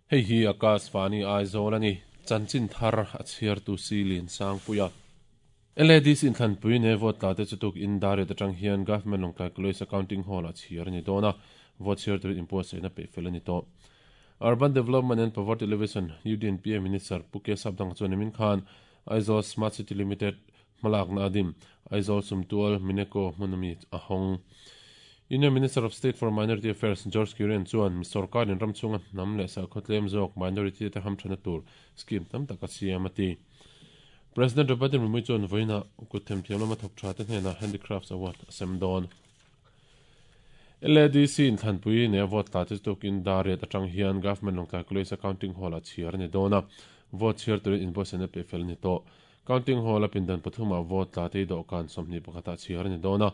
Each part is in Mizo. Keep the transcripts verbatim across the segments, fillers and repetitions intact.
Hei hi Akashvani Aizawl ani chanchin thar a chhiar tu silin sangpuia L A D C in thlanpui ne vote tla te chutuk in dare te tang hian Government Lawngtlai College Accounting Hall a chhiar ani dawna vote chhiar tur impose na pe fel ani to Urban Development and Poverty Alleviation U D N P A Minister Puke Sapdang chuan min khan Aizawl Smart City Limited hmalak na adim Aizawl Sumtual Mineko hmunami ahong Union Minister of State for Minority Affairs George Kurian chuan sarkar in ramchunga nam leh sakhotlem zawk minority te hamthana tur scheme tam taka siam ati President Robert Murmu chuan voina kuthem thiam lama thok tha te hnena Handicrafts Award asem dawn L A D C in thlanpui ne vote tla te tukin dare atang hian Government Lawngtlai College Accounting Hall a chhiar ani dawna vote chhiar turin invoice na pe fel ni to Counting Hall a pindan pathuma vote tla te do kan somni pakhata chhiar ani dawna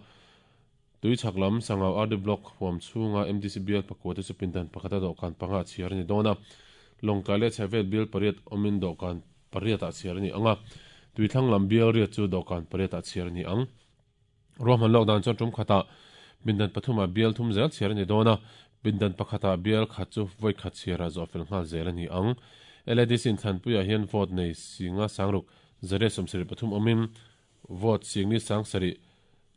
tui chaklam sangau R D block huam chunga M D C B L pakua te chu pindan pakhata do kan panga chhiar ani dawna Lawngtlai leh chhevel bial pariat awmin do kan pariat a chhiar ani anga tui thlang lam bial riat chu do kan pariat a chhiar ani ang ruahman lockdown chuan tum khata bindan pathuma bial thum zel chhiar ani dawna bindan pakhata bial khat chu voi khat chhiara zo fel nghal zel ani ang L A D C in thlanpuia hian vote nei singa sangruk zare somsari pathum awmin vote singni sangsari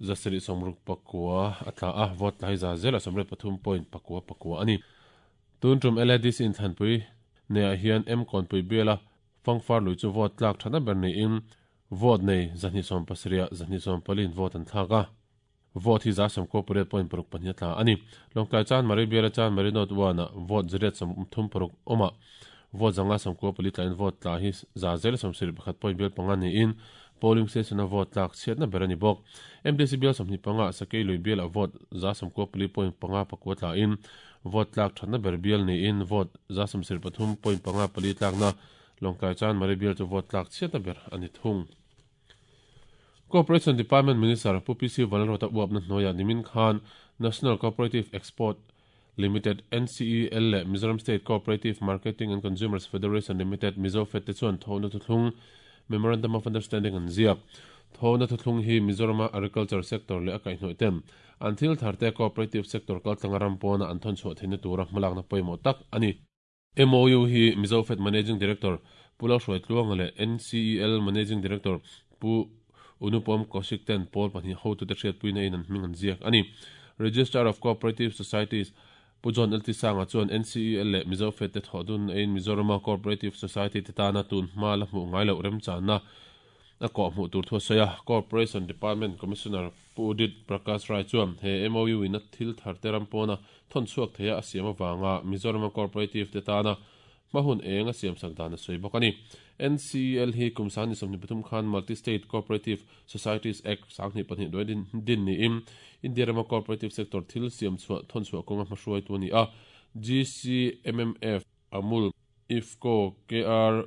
zasari somruk pakua atla a vote lai za zela somret pathum point pakua pakua ani tun tum L A D C in thlanpui ne a hian M konpui biala fangfar lui chu vote tlak thana ber nei in vote nei zahni som pasria zahni som palin vote an thaka vote hi za som corporate point paruk pahnih tla ani Lawngtlai chan mari biala chan mari not one vote zariat som thum paruk oma vote zanga som ko pali tlain vote tla hi za zel som sir pakhat point bial panga ni in polling station a vote tlak chhiatna ber ani bawk M D C bial somhnih panga sakei lui bial a vote za som ko pali point panga pakua tla in vote tlak thatna ber bial ni in vote za som sir pathum point panga pali tlak na Lawngtlai chan mari bial chu vote tlak chhiatna ber ani thung Corporation Department Minister Pu P C Vanlalruata uapna hnuaia nimin khan National Cooperative Export Limited N C E L leh Mizoram State Cooperative Marketing and Consumers Federation Limited Mizofed te chuan thona thuthlung Memorandum of Understanding an ziak thona thuthlung hi Mizorama Agriculture Sector leh a kaihhnawih ten an thil tharte Cooperative Sector kaltlanga ram pawna an thawn chhuah theihna tura hmalakna pawimawh tak ani M O U hi Mizofed Managing Director Pu Lalhruai Tluanga leh N C E L Managing Director Pu Unupom Kaushik ten pawl pahnih hotu te hriatpui na in an hming an ziak ani Registrar of Cooperative Societies Pu John L T Sanga chuan N C E L leh Mizofed te thawhdun ein Mizorama Cooperative Society te tana tun hma la hmuh ngai loh remchanna a kawh hmuh tur thu a sawi a Corporation Department Commissioner Pu Udit Prakash Rai chuan he M O U in a thil thar te ram pawna thawn chhuak theia a siam awanga Mizorama Cooperative te tana hmahun eng a siam sak dan a sawi bawk ani N C E L hi kum sani somni pathum khan Multi-State Cooperative Societies Act sanghnih pahnih duai din din ni in India rama Cooperative Sector thil siam chhuah thawn chhuah kawnga hmahruai tu ani a G C M M F Amul IFFCO K R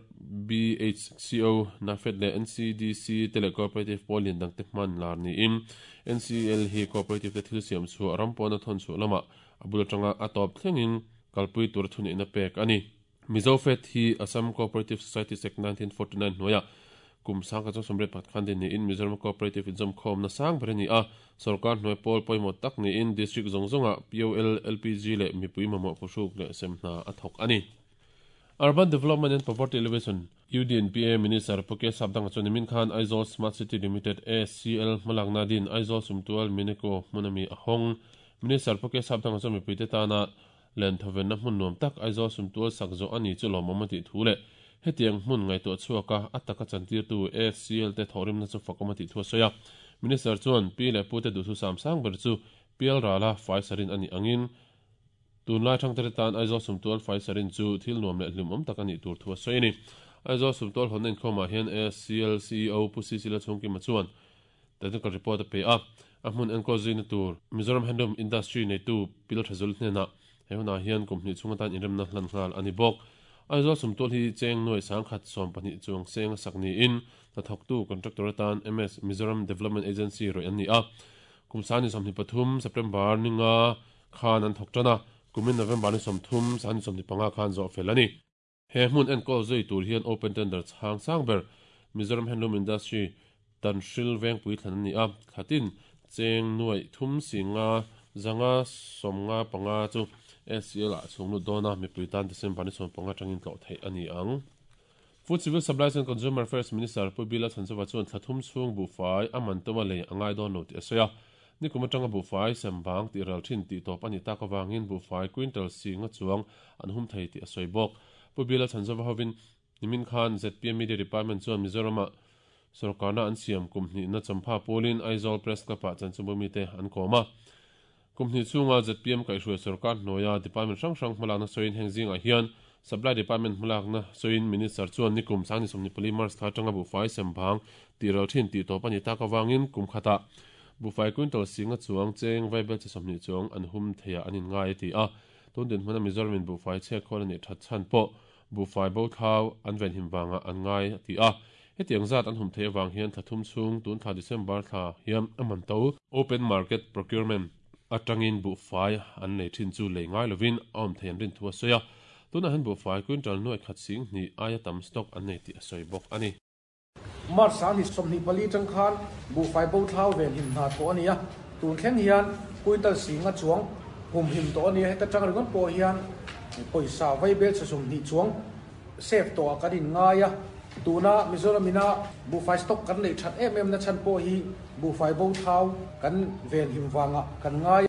B H C O NAFED leh N C D C te leh Cooperative pawl lian dang te hman lar ni in N C E L hi Cooperative te thil siam chhuah ram pawna thawn chhuah lama a bul atanga a tawp thlengin kalpui tur thuni na pek ani Mizofed hi Assam Cooperative Society Act nineteen forty-nine hnuaia kum sangka chu somriat pakhat khan din ni in Mizoram Cooperative inzawm khawm na sang ber ani a sarkar hnuai pawl pawimawh tak ni in district zawng zawnga P O L L P G leh mipui mamawh phuhruk leh semhna a thawk ani Urban Development and Poverty Alleviation U D N P A Minister Pu K Sapdanga chuan nimin khan Aizawl Smart City Limited A C L hmalakna din Aizawl Sumtual Mineko hmunami a hawng Minister Pu K Sapdanga chuan mipui te tana len thoven na hmun nuam tak Aizawl Sumtual sak zo ani chu lawmawm a tih thu leh hetiang hmun ngaihtuah chhuaka a taka chantir tu A C L te thawhrimna chu fakawm a tih thu a sawi a Minister chuan pi leh pu te duhthu sam sang ber chu pial rala fai sarin ani angin tunlai thangte tan Aizawl Sumtual fai sarin chu thil nuam leh hlimawm tak ani tur thu a sawi ani Aizawl Sumtual hawn inkhawmah hian A C L C E O Pu C C La Chhungkima chuan technical report a pe a a hmun enkawl zuina tur Mizoram Handloom Industry neitu pil thazul hnena he huna hian company chunga tan inremna hlan nghal ani bawk Aizawl Sumtual hi cheng nuai sangkhat sawm pahnih chuang seng a sak ni in hnathawk tu contractor atan M S Mizoram Development Agency roi an ni a kum sani sawmhnih pathum September ninga khan an thawk tana kumin November ni sawmthum sani sawmhnih panga khan zawh fel ani he hmun enkawl zui tur hian open tender chhang sang ber Mizoram Handloom Industry Tanhril Vengpui thlan ani a thlatin cheng nuai thum singa zanga somnga panga chu S C L a chunglu dona mipui tan December ni som panga tangin tlo thei ani ang. Food Civil Supplies and Consumer Affairs Minister Pu Bila Chanchova chuan thlathum chung bu fai aman toma lei angai don lo ti asoya ni kuma tanga bu fai sembang ti ral thin ti top ani ta ka wangin bu fai quintal singa chuang an hum thei ti asoi bok. Pu Bila Chanchova hovin nimin khan Z P M Media Department chuan Mizoram sarkarna an siam kumhni na champha polin Aizawl Press Club ah chanchumumi te an koma kumhni chunga Z P M kaihruai sarkar hnuaia department hrang hrang hmalakna sawiin heng zingah hian Supply Department hmalakna sawiin Minister chuan nikum sangni sawmni pali March thla atanga bu fai sembang ti ral thin ti tawp ani tak awangin kum khata bu fai quintal singa chuang cheng vaibel che sawmni chuang an hum theia anin ngai ti a tun din hmana Mizoramin bu fai che khawl ani that chan pawh bu fai bo thau an ven him wanga an ngai ti a hetiang zat an hum thei awang hian thlathum chung tun thla December thla hian aman to open market procurement atangin bu fai an nei thin chu lei ngai lovin awm thei an rin thu a sawi a tuna han bu fai quintal nuai khat sing ni aia tam stock an nei ti a sawi bawk ani. March ni sawmhnih pali tang khan bu fai bo thlau ven him hna to ani a tun thleng hian quintal singa chuang hum him to ani heta tang ringon pawh hian pawisa vaibel che sawmhnih chuang save to a kan in ngai a tuna Mizoramina bu fai stock kan nei that em em na chan pawh hi bu fai bo thlau kan ven him wanga kan ngai.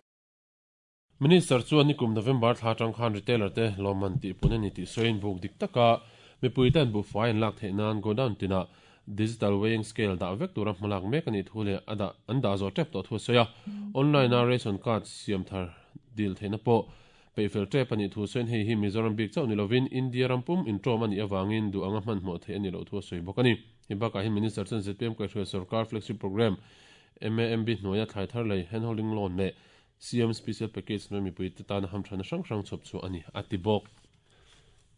Minister chuan nikum November thla tang khan retailer te loman ti pune ni ti soin buk dik taka mipui ten bu fai an lak theih nan godown tina digital weighing scale da vek tura hmalak mek ani thule ada an da zo tep to thu soya online a ration card siam thar dil theina pawh peifel tep ani thu soin hei hi Mizoram bik chau ni lovin India rampum intro ani awangin du anga hman hmu thei ani lo thu soi bawk ani. Hibaka hi Minister chuan Z P M kaihruai sarkar flagship program M A M B hnuaia thlai thar lei handholding loan leh C M special package no mipui te tan ham thana hrang hrang chhop chu ani ati bawk.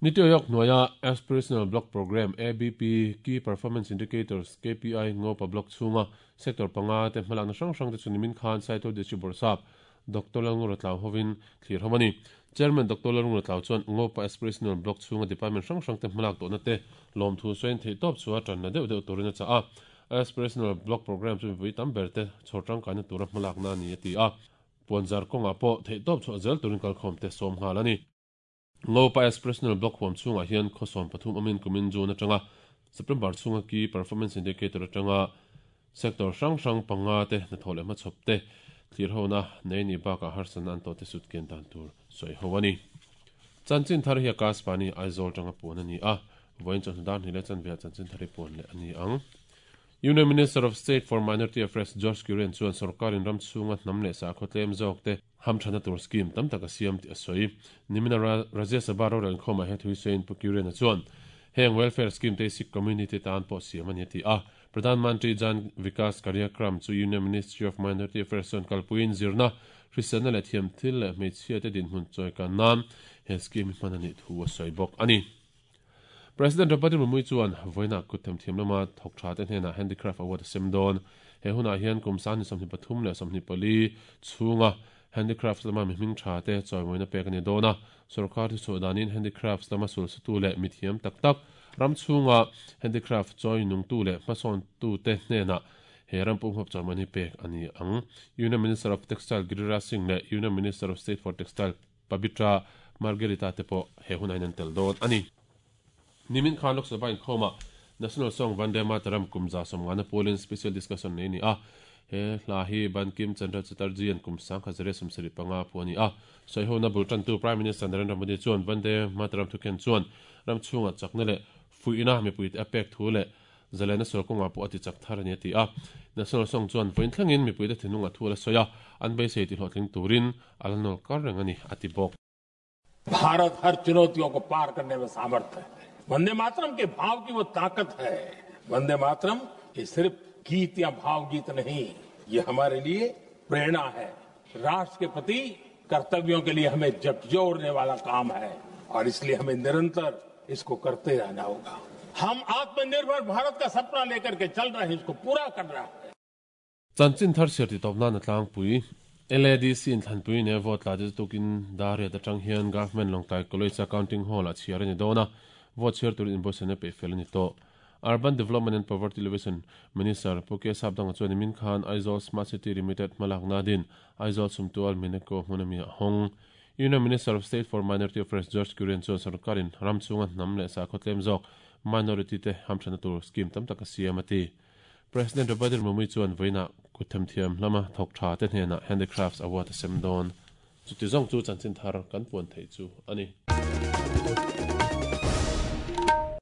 Niti Aayog hnuaia Aspirational Block Program A B P Key Performance Indicators K P I ngopa block chunga sector panga te hmalakna hrang hrang te chu nimin khan Saitual District Bawrhsap Doctor Lalngura Tlau hovin thlir homani. Chairman Doctor Lalngura Tlau chuan ngopa Aspirational Block chunga department hrang hrang te hmalak tawhna te lawm thu sawiin theih tawp chu a tanna deuh deuh turin a chah a. Aspirational Block Program chu mipui tam ber te chhawr tangkaina tura hmalakna ani a ti a. Puanzar kawnga pawh theih tawp chu a zel turin kalkhawm te sawm nghal ani. Ngopa Aspirational Block huam chungah hian khawsawm pathum amin kumin June atanga September chunga Key Performance Indicator atanga sector hrang hrang panga te hnathawh leh hmachhawp te thlir hona nei ni bakah harsatna an tawh te sut kian dan tur sawi ho ani. Chanchin thar hi Akash Vani Aizawl tanga puan ani a vawiin chawhnu dan hnih leh chanve chanchin thar hi puan leh ani ang. Union Minister of State for Minority Affairs George Kurian chuan sarkarin ram chunga hnam leh sakhaw tlem zawk te hamthana tur scheme tam tak a siam ti a sawi. Nimina Rajya Sabha rorel khawmah he thui sawiin Pu Kurian a chuan heng welfare scheme te Sikh community tan pawh siam ani ti a. Pradhan Mantri Jan Vikas Karyakram chu Union Ministry of Minority Affairs chuan kalpuiin zirna hriselna leh thiam thil leh hmeichhia te dinhmun chawi kan nan he scheme hman ani thu a sawi bawk ani. President Draupadi Murmu chuan vawiina kut themthiam lama thawk tha te hnenah Handicraft Award a sem dawn. He hunah hian kum sangni sawmhnih pathum leh sawmhnih pali chhunga handicrafts lama mi hming tha te chawimawina pek ani dawn a. Sarkar thu chhuah danin handicrafts lama sul sutu leh mithiam tak tak ram chhunga handicraft chawi nungtu leh hmasawn tu te hnenah he rampum huap chawimawina pek ani ang. Union Minister of Textile Giriraj Singh leh Union Minister of State for Textile Pabitra Margherita te pawh he hunah hian an tel dawn ani. Nimin khan Lok Sabha inkhawma National Song Vande Mataram kumza sawmngana polin special discussion nei ni a. He hla hi Bankim Chandra Chatterjee an kum sang khazare sawmsarih panga phu ani a. Sawi bul tantu Prime Minister Narendra Modi chuan Vande Mataram thuken chuan ram chhunga chakna leh fuihna mipui te a pek thu leh zalena sawrkawnga pawh a ti chak thar ani a ti a. National Song chuan vawiin thlengin mipui te thinlunga thu la sawi a an beisei ti hlawhtling turin a la nawl kar reng ani a ti bawk. Bharat हर चुनौतियों को पार करने में सामर्थ्य है। वंदे मातरम के भाव की वो ताकत है। वंदे मातरम ये सिर्फ गीत या भावगीत नहीं, ये हमारे लिए प्रेरणा है। राष्ट्र के प्रति कर्तव्यों के लिए हमें झकझोरने वाला काम है और इसलिए हमें निरंतर इसको करते रहना होगा। हम आत्मनिर्भर भारत का सपना लेकर के चल रहे हैं, इसको पूरा कर रहा है। Chanchin thar sir ti tawpna na tlangpui L A D C in thlanpui ne vote la te tukin dariat atang hian Government Lawngtlai College Accounting Hall a chhiar ani dawn a. Vote chhiar turin invoice na pe fel ani tawh. Urban Development and Poverty Alleviation Minister Pu K Sapdanga chuan nimin khan Aizawl Smart City Limited hmalakna din Aizawl Sumtual Mineko hmunami a hawng. Union Minister of State for Minority Affairs George Kurian chuan sarkarin ram chhunga hnam leh sakhaw tlem zawk minority te hamthana tur scheme tam tak a siam a ti. President Draupadi Murmu chuan vawiinah kutthemthiam lama thawk tha te hnenah Handicrafts Award a sem dawn. Chuti zawng chu chanchin thar kan puan theih chu a ni.